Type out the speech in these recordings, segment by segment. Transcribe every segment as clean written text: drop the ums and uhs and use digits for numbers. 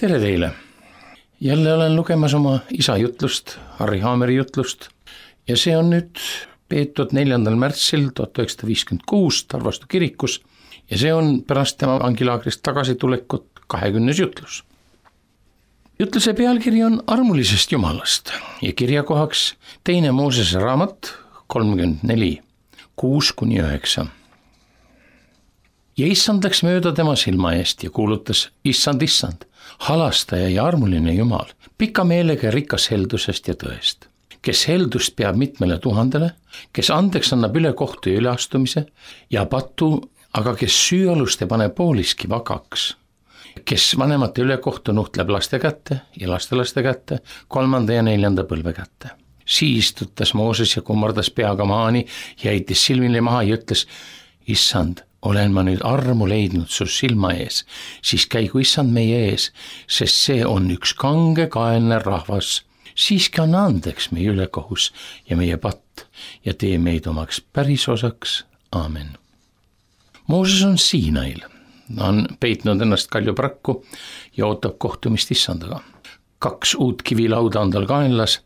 Tere teile! Jälle olen lugemas oma isa jutlust, Harri Haameri jutlust ja see on nüüd peetud 4. märtsil 1956 Tarvastu kirikus ja see on pärast tema vangilaagrist tagasitulekut 20. jutlus. Jutluse pealkiri on Armulisest Jumalast ja kirjakohaks 2. Moosese raamat 34, 6-9. Ja issand läks mööda tema silma eest ja kuulutas: issand, halastaja ja armuline Jumal, pika meelega ja rikas heldusest ja tõest, kes heldust peab mitmele 1000, kes andeks annab ülekohtu ja üleastumise ja patu, aga kes süüaluste paneb pooliski vagaks, kes vanemate ülekohtu nuhtleb laste kätte ja lastelaste kätte, 3. ja 4. põlve kätte. Siis tuttas Mooses ja kummardas peaga maani ja heitis silmile maha ja ütles: issand, olen ma nüüd armu leidnud su silma ees, siis käigu issand meie ees, sest see on üks kangekaelne rahvas. Siiski anna andeks meie ülekohus ja meie patt ja tee meid omaks pärisosaks. Aamen. Mooses on Siinail. Ta on peitnud ennast kaljuprakku ja ootab kohtumist issandaga. 2 uut kivilauda on tal kaenlas,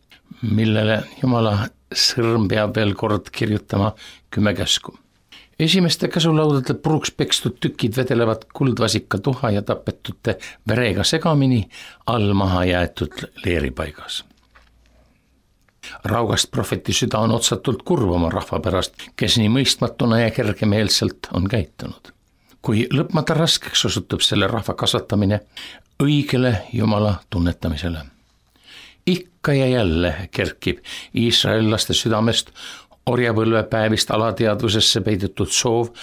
millele Jumala sõrm peab veel kord kirjutama 10 käsku. Esimeste käsulaudade puruks pekstud tükid vedelevad kuldvasika tuha ja tapetute verega segamini all maha jäetud leeripaigas. Raugast prohveti süda on otsatult kurv oma rahva pärast, kes nii mõistmatuna ja kergemeelselt on käitunud. Kui lõpmata raskeks osutub selle rahva kasvatamine õigele Jumala tunnetamisele. Ikka ja jälle kerkib iisraellaste südamest orjapõlve päevist alateadvusesse peidetud soov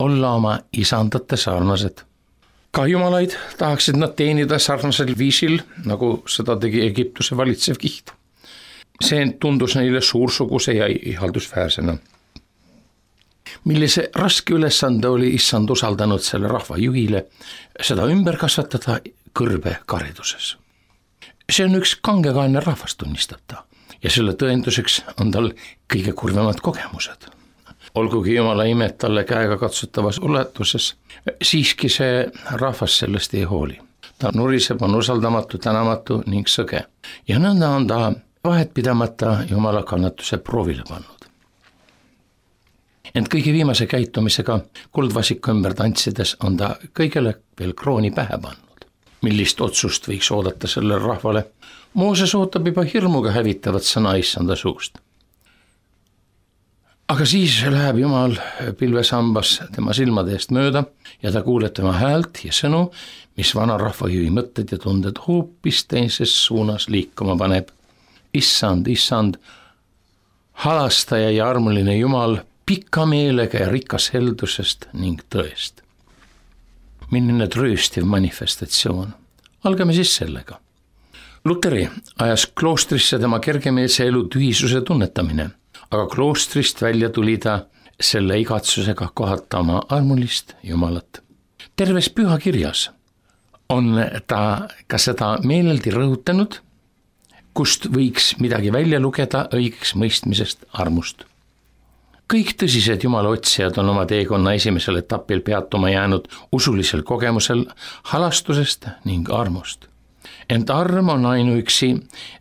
olla oma isandate sarnased. Ka jumalaid tahaksid nad teenida sarnasel viisil, nagu seda tegi Egiptuse valitsev kiht. See tundus neile suursuguse ja ihaldusväärsena. Millise raske ülesande oli issand usaldanud selle rahva juhile, seda ümber kasvatada kõrbe kariduses. See on üks kangekaelne rahvas, tunnistab ta. Ja selle tõenduseks on tal kõige kurvemad kogemused. Olgugi Jumala imed talle käega katsutavas ulatuses, siiski see rahvas sellest ei hooli. Ta nuriseb, on usaldamatu, tänamatu ning sõge. Ja nõnda on ta vahet pidamata Jumala kannatuse proovile pannud. Ent kõige viimase käitumisega kuldvasiku ümber tantsides on ta kõigele veel krooni pähe pannud. Millist otsust võiks oodata sellele rahvale? Mooses ootab juba hirmuga hävitavat sõna issanda suust. Aga siis läheb Jumal pilvesambas tema silmade eest mööda ja ta kuuleb tema häält ja sõnu, mis vana rahvajuhi mõtted ja tunded hoopis teises suunas liikuma paneb. Issand, halastaja ja armuline Jumal, pika meelega ja rikas heldusest ning tõest. Milline trööstiv manifestatsioon. Algame siis sellega. Luteri ajas kloostrisse tema kergemeelse elu tühisuse tunnetamine, aga kloostrist välja tuli ta selle igatsusega kohata oma armulist Jumalat. Terves pühakirjas on ta ka seda meeleldi rõhutanud, kust võiks midagi välja lugeda õigeks mõistmisest armust. Kõik tõsised Jumala otsijad on oma teekonna esimesel etapil peatuma jäänud usulisel kogemusel halastusest ning armust. Ent arm on ainuüksi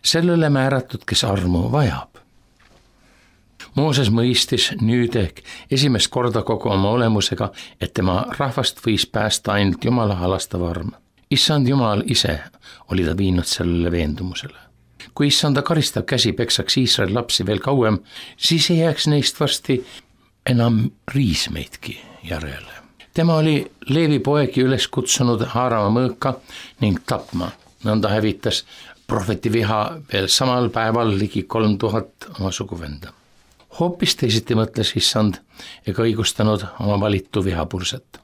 sellele määratud, kes armu vajab. Mooses mõistis nüüd ehk esimest korda kogu oma olemusega, et tema rahvast võis päästa ainult Jumala halastav arm. Issand Jumal ise oli ta viinud sellele veendumusele. Kui issanda karistav käsi peksaks Iisraeli lapsi veel kauem, siis ei jääks neist varsti enam riismeidki järele. Tema oli Leevi poegi üles kutsunud haarama mõõka ning tapma. Nõnda hävitas prohveti viha veel samal päeval ligi 3000 oma suguvenda. Hoopis teisiti mõtles issand ega õigustanud oma valitu vihapurset.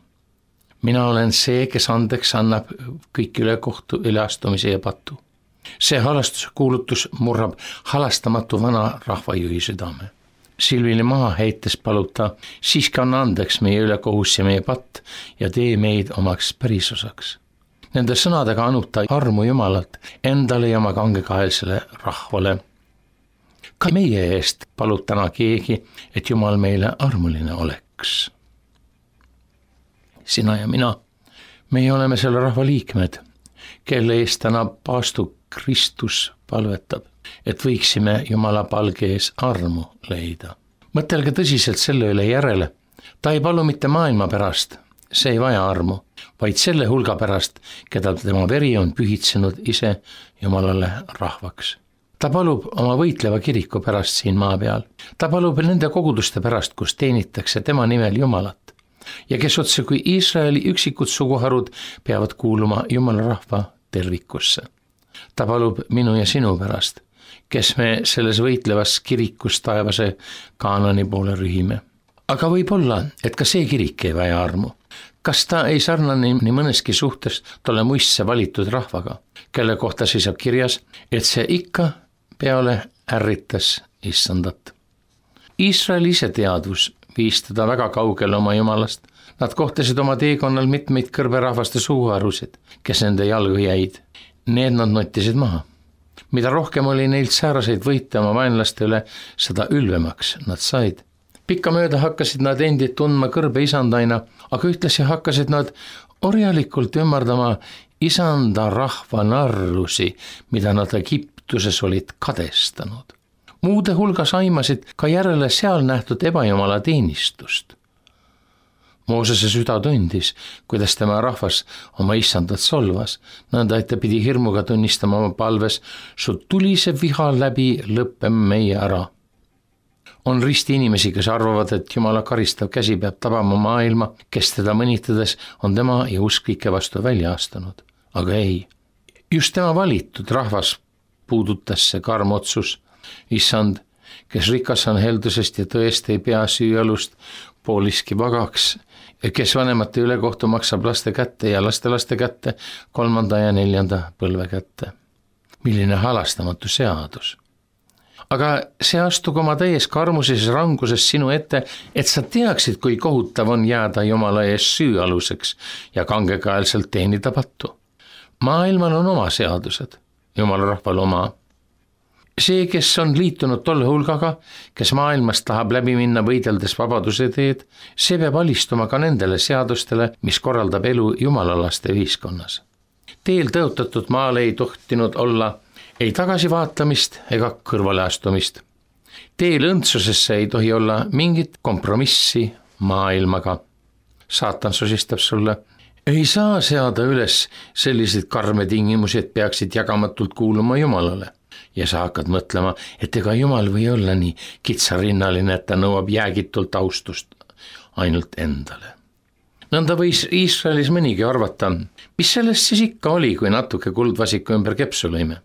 Mina olen see, kes andeks annab kõik ülekohtu, üleastumise ja patu. See halastuse kuulutus murrab halastamatu vana rahvajuhi südame. Silvili maha heites palub ta: siiski anna andeks meie ülekohus ja meie patt ja tee meid omaks pärisosaks. Nende sõnadega anub ta armu Jumalat endale ja oma kangekaelsele rahvale. Ka meie eest palub täna keegi, et Jumal meile armuline oleks. Sina ja mina, meie oleme selle rahva liikmed kelle eest täna paastu Kristus palvetab, et võiksime Jumala palge ees armu leida. Mõtelge tõsiselt selle üle järele. Ta ei palu mitte maailma pärast, see ei vaja armu, vaid selle hulga pärast, keda tema veri on pühitsenud ise Jumalale rahvaks. Ta palub oma võitleva kiriku pärast siin maa peal. Ta palub nende koguduste pärast, kus teenitakse tema nimel Jumalat ja kes otse kui Iisraeli üksikud suguharud peavad kuuluma Jumala rahva tervikusse. Ta palub minu ja sinu pärast, kes me selles võitlevas kirikus taevase Kaanani poole rühime. Aga võib olla, et ka see kirik ei vaja armu. Kas ta ei sarnane nii mõneski suhtes tolle muistse valitud rahvaga, kelle kohta seisab kirjas, et see ikka peale ärritas Issandat. Iisraeli ise teadvus viis teda väga kaugele oma Jumalast. Nad kohtasid oma teekonnal mitmeid kõrberahvaste suguharusid, kes nende jalgu jäid. Need nad nottisid maha. Mida rohkem oli neilt sääraseid võite oma vaenlaste üle, seda ülvemaks nad said. Pikkamööda hakkasid nad endid tundma kõrbe isandaina, aga ühtlasi hakkasid nad orjalikult ümardama isanda rahva narrusi, mida nad Egiptuses olid kadestanud. Muude hulgas aimasid ka järele seal nähtud ebajumala teenistust. Moosese süda tundis, kuidas tema rahvas oma isandat solvas, nõnda et ta pidi hirmuga tunnistama oma palves, su tulise viha läbi lõppeme meie ära. On risti inimesi, kes arvavad, et Jumala karistav käsi peab tabama maailma, kes teda mõnitades on tema ja usklike vastu välja astunud. Aga ei, just tema valitud rahvas puudutas see karm otsus. Issand, kes rikas on heldusest ja tõest ei pea süüalust pooliski vagaks, kes vanemate ülekohtu maksab laste kätte ja lastelaste kätte 3. ja 4. põlve kätte. Milline halastamatu seadus. Aga see astug oma täies karmuses ja ranguses sinu ette, et sa teaksid, kui kohutav on jääda Jumala ees süüaluseks ja kangekaelselt teenida pattu. Maailmal on oma seadused, Jumala rahval oma. See, kes on liitunud tolle hulgaga, kes maailmast tahab läbi minna võideldes vabaduse teed, see peab alistuma ka nendele seadustele, mis korraldab elu jumalalaste ühiskonnas. Teel tõotatud maal ei tohtinud olla ei tagasivaatamist ega kõrvaleastumist. Teel õndsusesse ei tohi olla mingit kompromissi maailmaga. Saatan sosistab sulle, ei saa seada üles selliseid karme tingimusi, et peaksid jagamatult kuuluma Jumalale. Ja sa hakkad mõtlema, et ega Jumal või olla nii kitsarinnaline, et ta nõuab jäägitult austust ainult endale. Nõnda võis Iisraelis mõnigi arvata, mis sellest siis ikka oli, kui natuke kuldvasiku ümber kepsu lõime.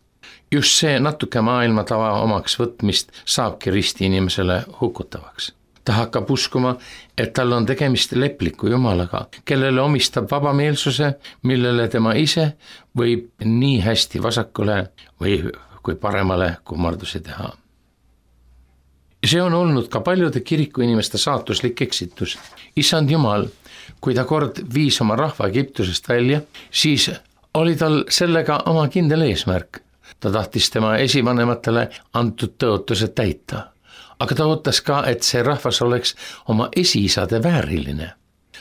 Just see natuke maailma tava omaks võtmist saabki risti inimesele hukutavaks. Ta hakkab uskuma, et tal on tegemist lepliku Jumalaga, kellele omistab vabameelsuse, millele tema ise võib nii hästi vasakule või kui paremale kummarduse teha. See on olnud ka paljude kiriku inimeste saatuslik eksitus. Issand Jumal, kui ta kord viis oma rahva Egiptusest välja, siis oli tal sellega oma kindel eesmärk. Ta tahtis tema esivanematele antud tõotused täita, aga ta ootas ka, et see rahvas oleks oma esiisade vääriline.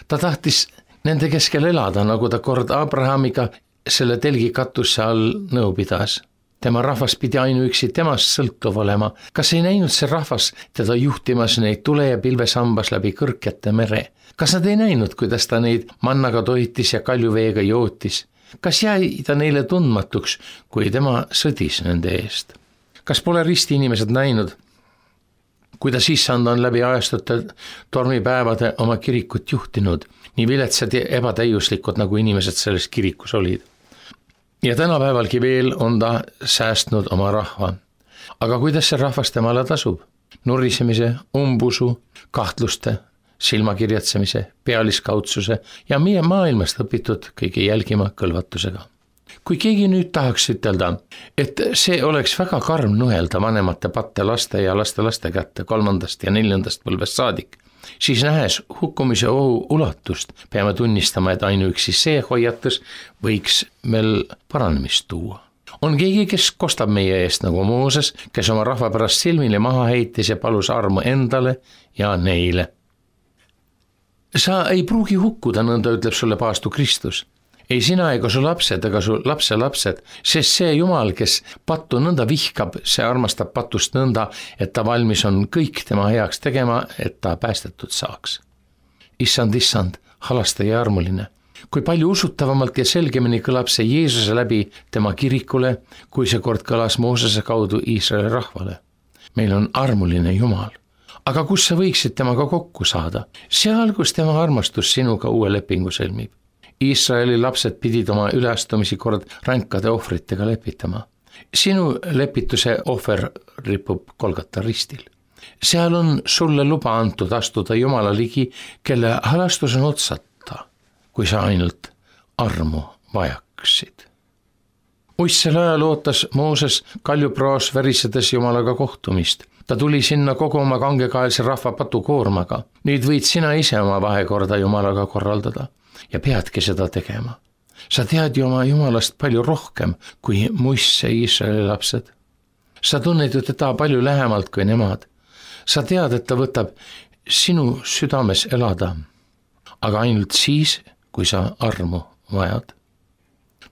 Ta tahtis nende keskel elada, nagu ta kord Abrahamiga selle telgi katuse all nõu pidas. Tema rahvas pidi ainuüksi temast sõltuv olema. Kas ei näinud see rahvas teda juhtimas neid tule- ja pilvesambas läbi kõrkete mere? Kas nad ei näinud, kuidas ta neid mannaga toitis ja kaljuveega jootis? Kas jäi ta neile tundmatuks, kui tema sõdis nende eest? Kas pole risti inimesed näinud, kuidas Issand on läbi ajastute tormipäevade oma kirikut juhtinud, nii viletsad ja ebatäiuslikud, nagu inimesed selles kirikus olid? Ja tänapäevalgi veel on ta säästnud oma rahva. Aga kuidas see rahvas temale tasub? Nurisemise, umbusu, kahtluste, silmakirjatsemise, pealiskaudsuse ja meie maailmast õpitud kõige jälgima kõlvatusega. Kui keegi nüüd tahaks ütelda, et see oleks väga karm nuhelda vanemate patte laste ja lastelaste kätte 3. ja 4. põlvest saadik, siis nähes hukkumise ohu ulatust, peame tunnistama, et ainuüksi see hoiatus võiks meil paranemist tuua. On keegi, kes kostab meie eest nagu Mooses, kes oma rahva pärast silmile maha heitis ja palus armu endale ja neile. Sa ei pruugi hukkuda, nõnda ütleb sulle paastu Kristus. ei sina ega su lapsed ega su lapselapsed, sest see Jumal, kes pattu nõnda vihkab, see armastab patust nõnda, et ta valmis on kõik tema heaks tegema, et ta päästetud saaks. Issand, halasta ja armuline. Kui palju usutavamalt ja selgemini kõlab see Jeesuse läbi tema kirikule, kui see kord kõlas Moosese kaudu Iisraeli rahvale. Meil on armuline Jumal. Aga kus sa võiksid temaga kokku saada? Seal, kus tema armastus sinuga uue lepingu sõlmib. Iisraeli lapsed pidid oma üleastumisi kord ränkade ohvritega lepitama. Sinu lepituse ohver ripub Golgata ristil. Seal on sulle luba antud astuda Jumala ligi, kelle halastus on otsata, kui sa ainult armu vajaksid. Uissel ajal ootas Mooses kaljupraos värisedes Jumalaga kohtumist. Ta tuli sinna kogu oma kangekaelse rahva patukoormaga. Nüüd võid sina ise oma vahekorda Jumalaga korraldada ja peadki seda tegema. Sa tead ju oma Jumalast palju rohkem kui Moise Iisraeli lapsed. Sa tunned ju teda palju lähemalt kui nemad. Sa tead, et ta võtab sinu südames elada, aga ainult siis, kui sa armu vajad.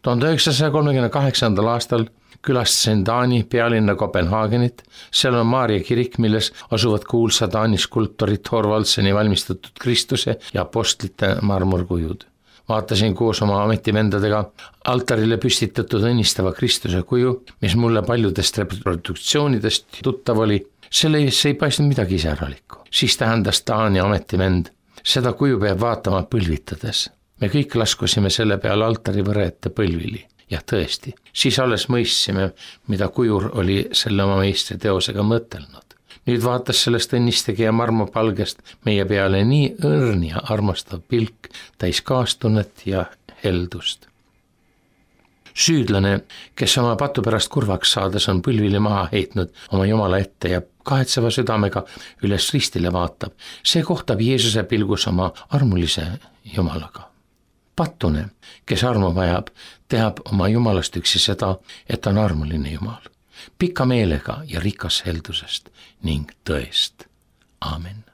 1938. aastal külastasin Taani pealinna Kopenhaagenit. Seal on Maarja kirik, milles asuvad kuulsa Taani skulptori Thorvaldseni valmistatud Kristuse ja apostlite marmorkujud. Vaatasin koos oma ametivendadega altarile püstitatud õnnistava Kristuse kuju, mis mulle paljudest reproduktsioonidest tuttav oli. Selle ees ei paistnud midagi iseäralikku. Siis tähendas Taani ametivend. Seda kuju peab vaatama põlvitades. Me kõik laskusime selle peale altari võrete põlvili. Ja tõesti, siis alles mõistsime, mida kujur oli selle oma meistri teosega mõtelnud. Nüüd vaatas sellest õnnistegija marmopalgest meie peale nii õrn ja armastav pilk, täis kaastunnet ja heldust. Süüdlane, kes oma patu pärast kurvaks saades on põlvili maha heitnud oma Jumala ette ja kahetseva südamega üles ristile vaatab, see kohtab Jeesuse pilgus oma armulise Jumalaga. Patune, kes armu vajab, tehab oma Jumalast üksi seda, et on armuline Jumal, pika meelega ja rikas heldusest ning tõest. Aamen.